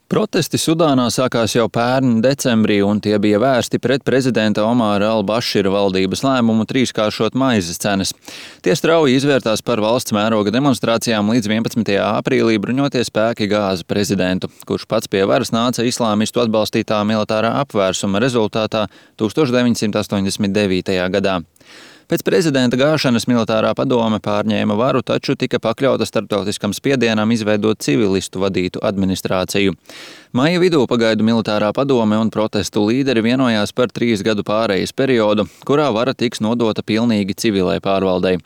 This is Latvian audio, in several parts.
Protesti Sudānā sākās jau pērn decembrī, un tie bija vērsti pret prezidenta Omāra al-Bašira valdības lēmumu trīskāršot maizes cenas. Tie strauji izvērtās par valsts mēroga demonstrācijām līdz 11. aprīlī bruņotie spēki gāza prezidentu, kurš pats pie varas nāca islāmistu atbalstītā militārā apvērsuma rezultātā 1989. gadā. Pēc prezidenta gāšanas militārā padome pārņēma varu, taču tika pakļauta starptautiskam spiedienam izveidot civilistu vadītu administrāciju. Maija vidū pagaidu militārā padome un protestu līderi vienojās par 3 gadu pārejas periodu, kurā vara tiks nodota pilnīgi civilai pārvaldei.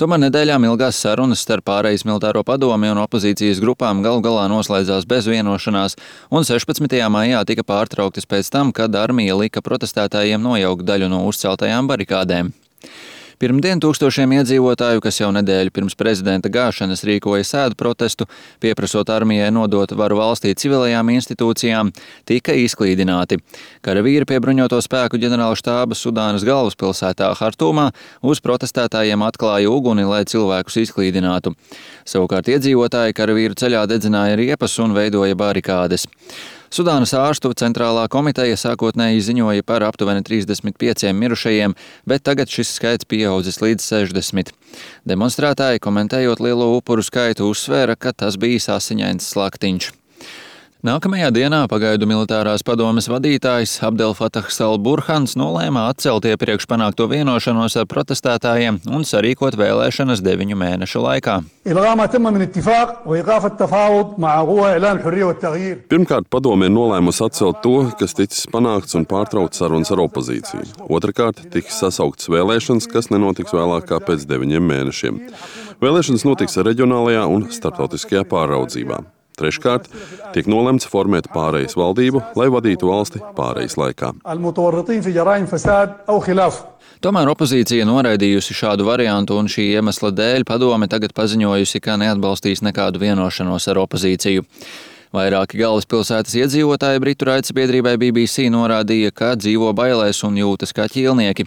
Tomēr nedēļām ilgās sarunas starp pārejas militāro padomi un opozīcijas grupām galu galā noslēdzās bez vienošanās, un 16. maijā tika pārtrauktas pēc tam, kad armija lika protestētājiem nojaukt daļu no uzceltajām barikādēm. Pirmdien tūkstošiem iedzīvotāju, kas jau nedēļu pirms prezidenta gāšanas rīkoja sēdu protestu, pieprasot armijai nodot varu valstī civilajām institūcijām, tika izklīdināti. Karavīri pie bruņoto spēku ģenerāla štāba Sudānas galvaspilsētā Hartumā uz protestētājiem atklāja uguni, lai cilvēkus izklīdinātu. Savukārt iedzīvotāji karavīru ceļā dedzināja riepas un veidoja barikādes. Sudānas ārstu centrālā komiteja sākotnēji ziņoja par aptuveni 35 mirušajiem, bet tagad šis skaits pieaudzis līdz 60. Demonstrētāji, komentējot lielo upuru skaitu, uzsvēra, ka tas bijis asiņains slaktiņš. Nākamajā dienā pagaidu militārās padomes vadītājs Abdel Fatahs al-Burhans nolēma atcelt iepriekš panākto vienošanos ar protestētājiem un sarīkot vēlēšanas 9 mēnešu laikā. Pirmkārt, padome ir nolēmusi atcelt to, kas ticis panākts un pārtraukt sarunas ar opozīciju. Otrakārt, tiks sasauktas vēlēšanas, kas nenotiks vēlāk kā pēc 9 mēnešiem. Vēlēšanas notiks reģionālajā un starptautiskajā pāraudzībā. Treškārt, tiek nolemts formēt pārejas valdību, lai vadītu valsti pārejas laikā. Tomēr opozīcija noraidījusi šādu variantu, un šī iemesla dēļ padome tagad paziņojusi, ka neatbalstīs nekādu vienošanos ar opozīciju. Vairāki galvaspilsētas iedzīvotāji britu raidsabiedrībai BBC norādīja, ka dzīvo bailēs un jūtas kā ķīlnieki.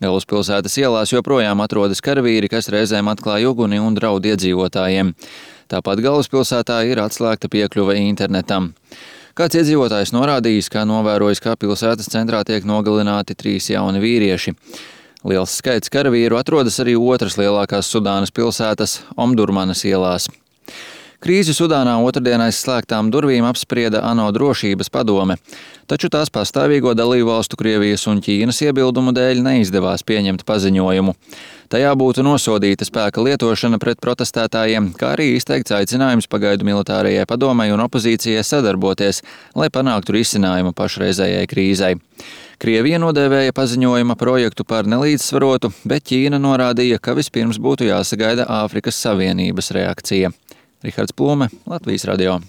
Galvaspilsētas ielās joprojām atrodas karavīri, kas reizēm atklāja uguni un draud iedzīvotājiem. Tāpat galvaspilsētā ir atslēgta piekļuve internetam. Kāds iedzīvotājs norādījis, ka novērojis, kā pilsētas centrā tiek nogalināti 3 jauni vīrieši. Liels skaits karavīru atrodas arī otras lielākās Sudānas pilsētas Omdurmanas ielās. Krīzi Sudānā otrdien aiz slēgtām durvīm apsprieda ANO drošības padome, taču tās pastāvīgo dalībvalstu Krievijas un Ķīnas iebildumu dēļ neizdevās pieņemt paziņojumu. Tajā būtu nosodīta spēka lietošana pret protestētājiem, kā arī izteikts aicinājums pagaidu militārajai padomei un opozīcijai sadarboties, lai panāktu risinājumu pašreizējai krīzei. Krievija nodēvēja paziņojuma projektu par nelīdzsvarotu, bet Ķīna norādīja, ka vispirms būtu jāsagaida Āfrikas Savienības reakcija. Rihards Plūme, Latvijas radio.